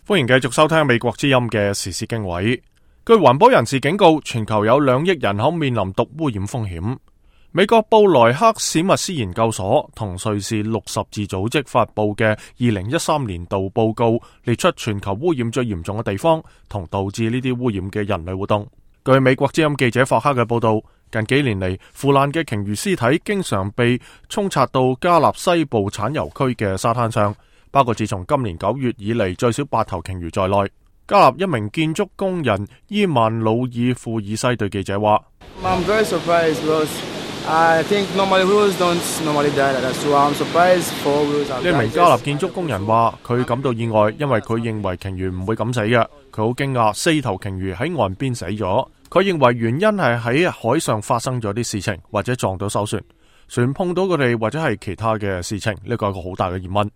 歡迎繼續收聽美國之音嘅時事經緯。據環保人士警告，全球有2億人口面臨毒污染風險。美國布萊克史密斯研究所同瑞士綠十字組織發佈嘅2013年度報告，列出全球污染最嚴重嘅地方同導致呢啲污染嘅人類活動。據美國之音記者霍克嘅報道，近幾年嚟，腐爛嘅鯨魚屍體經常被沖刷到加納西部產油區嘅沙灘上，包括自從今年9月以嚟最少8頭鯨魚在內。加納一名建築工人伊曼努爾庫爾西對記者話：I'm very surprised because I think normally whales don't normally die like that, so I'm surprised for whales have died. 呢名加納建築工人話佢感到意外，因為佢認為鯨魚唔會咁死嘅。佢好驚訝4頭鯨魚喺岸邊死咗。佢認為原因係喺海上發生咗啲事情，或者撞到艘船，船碰到佢哋，或者係其他嘅事情。呢個係一個好大嘅疑問。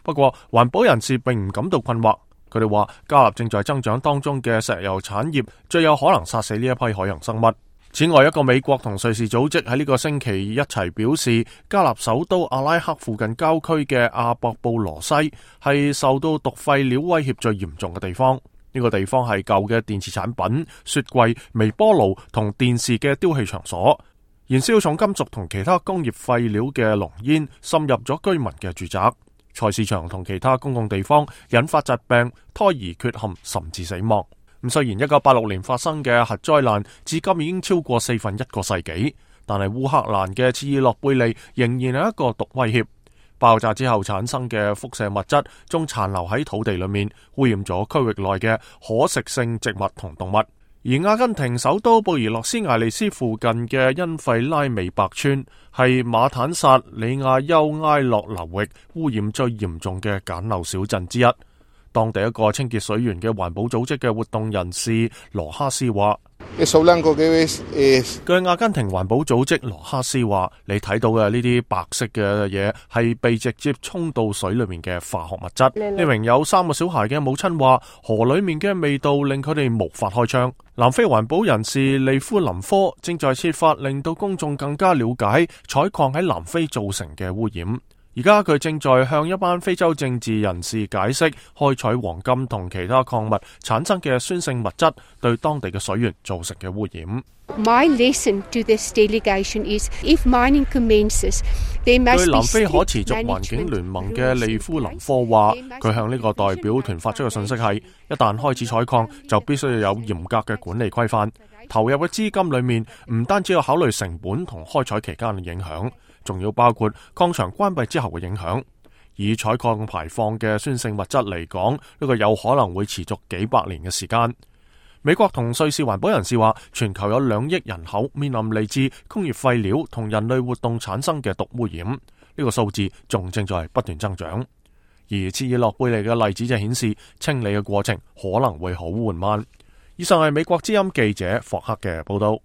不過環保人士並唔感到困惑，佢哋話加納正在增長當中嘅石油產業最有可能殺死呢一批海洋生物。此外，一個美國同瑞士組織喺呢個星期一齊表示，加納首都阿拉克附近郊區嘅阿博布羅西係受到毒廢料威脅最嚴重嘅地方。呢個地方係舊嘅電池產品、雪櫃、微波爐同電視嘅丟棄場所，燃燒重金屬同其他工業廢料嘅濃煙滲入咗居民嘅住宅、菜市場同其他公共地方，引發疾病、胎兒缺陷甚至死亡。咁雖然1986年發生嘅核災難至今已經超過1/4個世紀，但係烏克蘭嘅切爾諾貝利仍然係一個毒威脅。爆炸之後產生嘅輻射物質仲殘留喺土地裏面，污染咗區域內嘅可食性植物同動物。而阿根廷首都布宜諾斯艾利斯附近嘅恩費拉美白村係馬坦薩里亞丘埃洛流域污染最嚴重嘅簡陋小鎮之一。當地一個清潔水源嘅環保組織嘅活動人士羅哈斯話：據阿根廷環保組織羅哈斯話，你睇到嘅呢啲白色嘅嘢係被直接沖到水裏面嘅化學物質。呢名有3個小孩嘅母親話，河裏面嘅味道令佢哋無法開窗。南非環保人士利夫林科正在設法令到公眾更加了解採礦喺南非造成嘅污染。而家佢正在向一班非洲政治人士解釋開採黃金同其他礦物產生嘅酸性物質對當地嘅水源造成嘅污染。My lesson to this delegation is, if mining commences, there must be 據南非可持續環境聯盟嘅利夫林科話，佢向呢個代表團發出嘅信息係：一旦開始採礦，就必須要有嚴格嘅管理規範。投入嘅資金裏面唔單止要考慮成本同開採期間嘅影響，仲要包括礦場關閉之後嘅影響。以採礦排放嘅酸性物質嚟講，呢個有可能會持續幾百年嘅時間。美國同瑞士環保人士話，全球有2億人口面臨嚟自工業廢料同人類活動產生嘅毒污染，呢個數字仲正在不斷增長。而切爾諾貝利嘅例子就顯示，清理嘅過程可能會好緩慢。以上係美國之音記者霍克嘅報道。